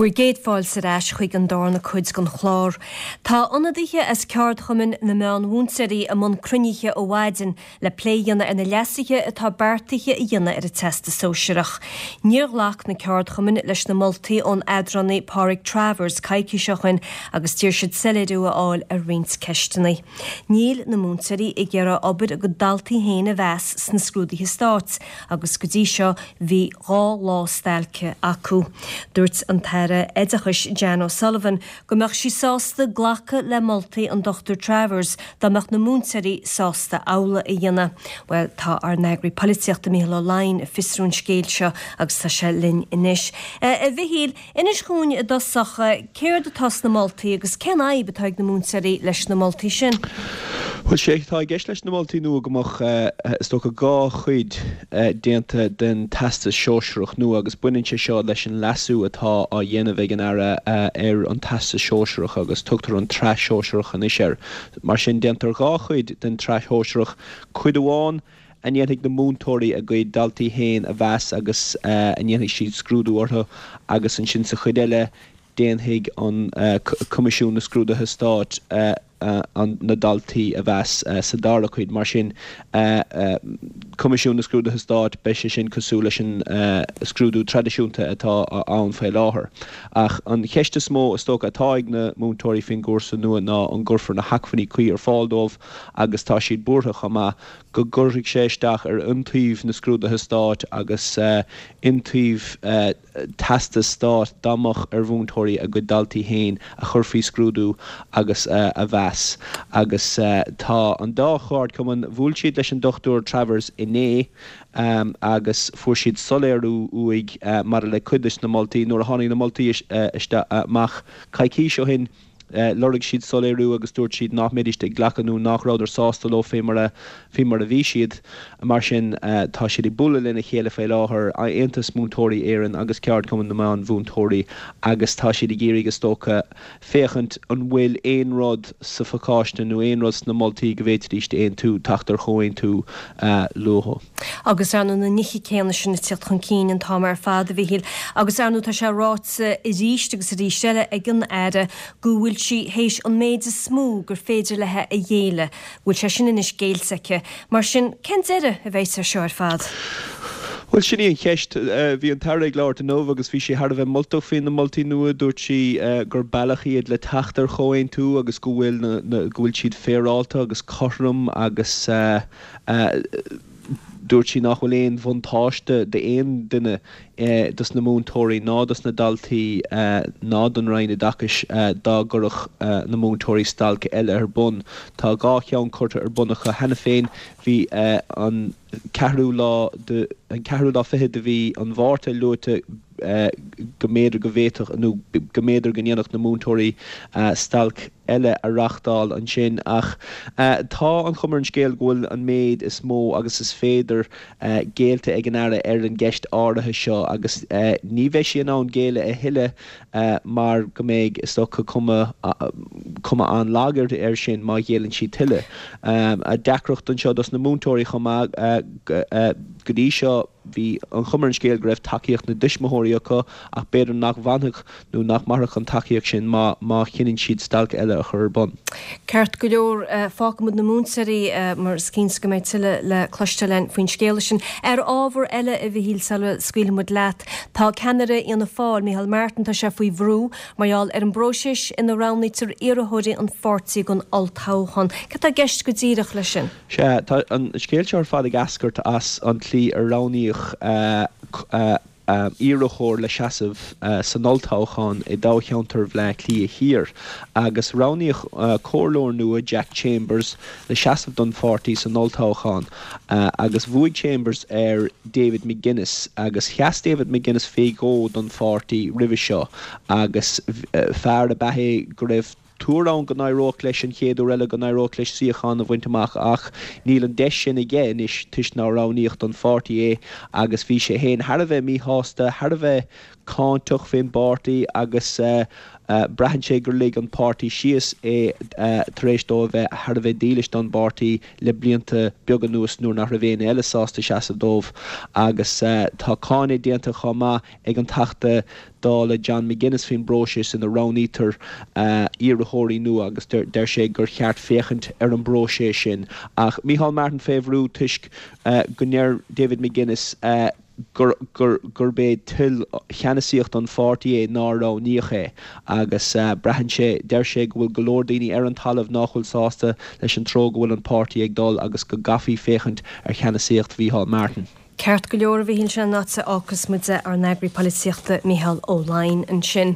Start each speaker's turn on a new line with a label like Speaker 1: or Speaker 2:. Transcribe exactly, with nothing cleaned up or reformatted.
Speaker 1: Bhur gcéad fáilte ar ais chuig an darna cuid den chlár. Tá ionadaithe as ceardchumainn na meánmhúinteoirí i mbun cruinnithe ó mhaidin le plé a dhéanamh ar na leasuithe atá beartaithe a dhéanamh ar an Teastas Sóisearach. Níor ghlac na ceardchumainn leis na moltaí ón eadránaí Pádraig Travers coicís ó shin agus d'iarr siad soiléiriú a fháil ar roinnt ceisteanna. Níl na múinteoirí ag iarraidh obair a gcuid daltaí féin a mheas sna scrúduithe stáit agus go dtí seo bhí dhá lá stailce acu. Dúirt an tAire Oideachais Jan O'Sullivan go mbeadh sí sásta glacadh le moltaí an Dr Travers dá mbeadh na múinteoirí sásta amhlaidh a dhéanamh. Well tá ár n-eagraí polaitíochta Mícheál Ó Leidhin ag fiosrú an scéil seo agus tá sé linn anois. A Mhichíl, inis dúinn i dtosach céard atá sna moltaí agus cén fhadhb atá ag na múinteoirí leis na moltaí sin.
Speaker 2: Bhuel sé tá i gceist leis na moltaí nua go mbeadh is dócha dhá chuid déanta den teastas sóisearach nua agus baineann sé seo leis an leasú atá á dhéanamh ag an Aire ar an teastas sóisearach agus tugtar an tsraith shóisearach anois air. Mar sin déantar dhá chuid den tsraith shóisearach, cuid amháin a ndéanfaidh na múinteoirí a gcuid daltaí féin a mheas agus a ndéanfaidh siad scrúdú orthu agus ansin sa chuid eile déanfaidh an Coimisiún na Scrúduithe Stáit na daltaí a mheas sa dara cuid. Mar sin Coimisiún na Scrúduithe Stáit beidh sé sin cosúil leis an scrúdú traidisiúnta atá ann faoi láthair. Ach an cheist is mó is dócha atá ag na múinteoirí faoin gcúrsa nua ná an gcuirfear na hacmhainní cuí ar fáil dóibh agus tá siad buartha chomh maith go gcuirfidh sé isteach ar iontaoibh na scrúduithe stáit agus iontaoibh teastas stáit dá mbeadh ar mhúinteoirí a gcuid daltaí féin a chur faoi scrúdú agus a mheas. Agus tá an dá cheardchumann bhuail siad leis an Dr Travers inné agus fuair siad soiléiriú uaidh maidir le cuid de na moltaí nuair a tháinig na moltaí isteach amach coicís ó shin. Lorg siad soiléiriú agus dúirt siad nach mbeidís ag glacadh nó nach rabhadar sásta leo fé mar a fé mar a bhí siad. Mar sin tá siad ag bualadh lena chéile faoi láthair Aontas Múinteoirí Éireann agus Ceardchumann na Meánmhúinteoirí agus tá siad ag iarraidh is dócha féachaint an bhfuil aon rud sa phacáiste nó aon rud sna moltaí go bhféadfaidís aontú teacht ar chomhaontú leo.
Speaker 1: Agus ar na nithe céanna sin ag teacht chun cinn an t-am ar fad a Mhichíl, agus ar ndóigh tá sé ráite arís agus arís eile ag an Aire go bhfuil sí théis an méid is mó gur féidir léi a ghéilleadh, bhfuil sé sin anois géillte aici. Mar sin cén deireadh a bheidh air seo ar fad?
Speaker 2: Bhuel sin í an cheist. Bhí an tAire ag labhairt inniu agus bhí sí thar a bheith moltach faoi na moltaí nua. Dúirt sí gur bealach iad le teacht ar chomhaontú agus go bhfuil go bhfuil siad féaráilte agus cothrom agus dúirt sí nach bhfuil aon bhuntáiste d'aon duine dos na múinteoirí ná dos na daltaí ná don Roinn Oideachais dá gcuirfeadh na múinteoirí stailc eile ar bun. Tá dhá cheann curtha ar bun acu cheana féin. Bhí an ceathrú lá de an ceathrú lá fiche de mhí an Mhárta luaite go mb'fhéidir go bhféadfadh nó go mb'fhéidir go ndéanfadh na múinteoirí stailc eile a reáchtáil ansin ach tá an chuma ar an scéal go bhfuil an méid is mó agus is féidir géillte ag an Aire ar an gceist áirithe seo agus ní bheidh sí in ann géilleadh a thuilleadh mar go mbeidh is dócha cuma cuma an-lag air sin má ghéilleann sí tuilleadh. Deacracht anseo dos na múinteoirí chomh maith go dtí seo bhí an chuma ar an scéal go raibh tacaíocht na dtuismitheoirí acu ach b'fhéidir nach bhfanfadh nó nach mairfeadh an tacaíocht sin má má chinneann siad stailc eile a chur ar bun.
Speaker 1: Ceart go leor fágfaimid na múinteoirí mar is cinnte go mbeidh tuilleadh le cloisteáil againn faoin scéal sin. Ar ábhar eile a Mhichíl sula scaoilfimid leat, tá ceannaire Fhianna Fáil, Micheál Martin, tá sé faoi bhrú mar gheall ar an bpróiseas ina roghnaítear iarrthóirí an pháirtí don olltoghchán. Cad tá i gceist go díreach leis sin?
Speaker 2: Sea, tá an scéal seo ar fad ag eascairt as an tslí ar roghnaíodh iarrthóir le seasamh san olltoghchán i dtoghcheantar Bhaile Átha Cliath Thiar agus roghnaíodh comhairleoir nua Jack Chambers le seasamh don pháirtí san olltoghchán agus bhuaigh Chambers ar David McGuinness agus sheas David McGuinness faoi dhó don pháirtí roimhe seo agus fear ab ea é go raibh tuar ann go n-éireodh leis an chéad uair eile go n-éireodh leis suíochán a bhaint amach ach níl an deis sin aige anois toisc nár roghnaíodh don pháirtí é agus bhí sé féin thar a bheith míshásta, thar a bheith cáinteach fén bpáirtí agus braitheann sé gur lig an páirtí síos é tar éis dó a bheith thar a bheith dílis don bpáirtí le blianta beaga anuas nuair nach raibh éinne eile sásta seasamh dóibh agus tá cáineadh déanta chomh maith ag an Teachta Dála John McGuinness faoin bpróiseas ina roghnaítear iarrthóirí nua agus deir sé gur cheart féachaint ar an bpróiseas sin. Ach Micheál Martin fé bhrú toisc go ndeir David McGuinness gurb é toil cheannasaíocht an pháirtí é nár roghnaíodh é agus braitheann sé, deir sé go bhfuil go leor daoine ar an talamh nach bhfuil sásta leis an treo go bhfuil an páirtí ag dul agus go gcaithfí féachaint ar cheannasaíocht Mhícheál Martin.
Speaker 1: Ceart go leor a Mhíchíl, sin an áit a fhágfas muid ár n-eagraí polaitíochta Mícheál Ó Laighin ansin.